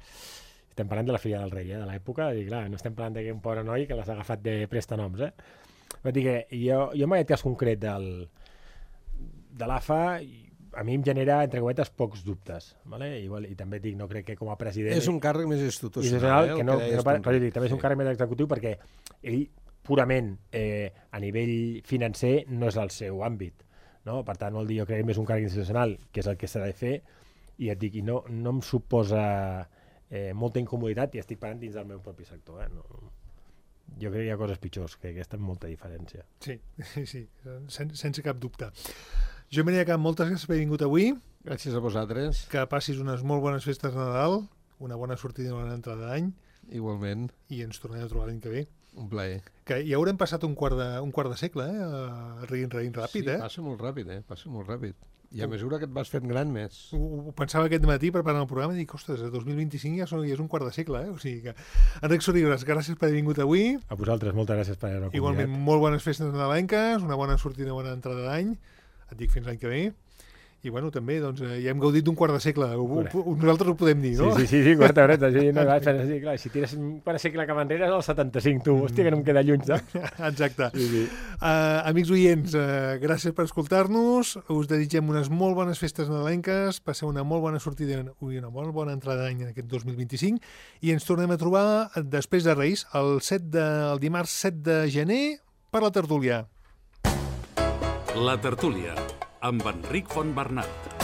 Estem parlant de la filla del rei, de l'època, i clar, no estem parlant d'un pobre noi que les ha agafat de prestanoms, Vull dir que jo en aquest cas concret de l'AFA... a mi em genera, entre cometes, pocs dubtes, ¿vale? I també dic, no crec que com a president... És un càrrec més institucional, també és un càrrec més executiu perquè ell purament a nivell financer no és el seu àmbit, no? Per tant, vol dir, jo crec que és un càrrec institucional, que és el que s'ha de fer, i et dic, no em suposa molta incomoditat, i estic parlant dins del meu propi sector. Jo crec que hi ha coses pitjors, que aquesta és molta diferència. Sí, sense cap dubte. Jo Maria Camp, moltes gràcies per haver vingut avui. Gràcies a vosaltres. Que passis unes molt bones festes de Nadal, una bona sortida i una bona entrada d'any. Igualment. I ens tornem a trobar l'any que ve. Un plaer. Que ja haurem passat un quart de segle, riguint ràpid, Sí, passa molt ràpid, passa molt ràpid. I a mesura que et vas fent gran més. Ho pensava aquest matí preparant el programa i dic, ostres, el 2025 ja és un quart de segle, O sigui que... Enric Sorigues, gràcies per haver vingut avui. A vosaltres, moltes gràcies per haver-me convidat. Igualment, molt bones festes nadalenques, una bona sortida i una bona entrada d'any. Et dic fins l'any que ve. I bueno, també, doncs, ja hem gaudit d'un quart de segle. Nosaltres ho podem dir, no? Sí, quart d'horeta. Sí, no, clar, si tires un quart de segle cap enrere és el 75, tu. Hòstia, que no em queda lluny, saps? Exacte. Sí. Amics oients, gràcies per escoltar-nos. Us desitgem unes molt bones festes nadalenques. Passeu una molt bona sortida i una molt bona entrada d'any en aquest 2025. I ens tornem a trobar després de Reis, el dimarts 7 de gener, per la tertúlia. La tertúlia, amb Enric Fontbernat.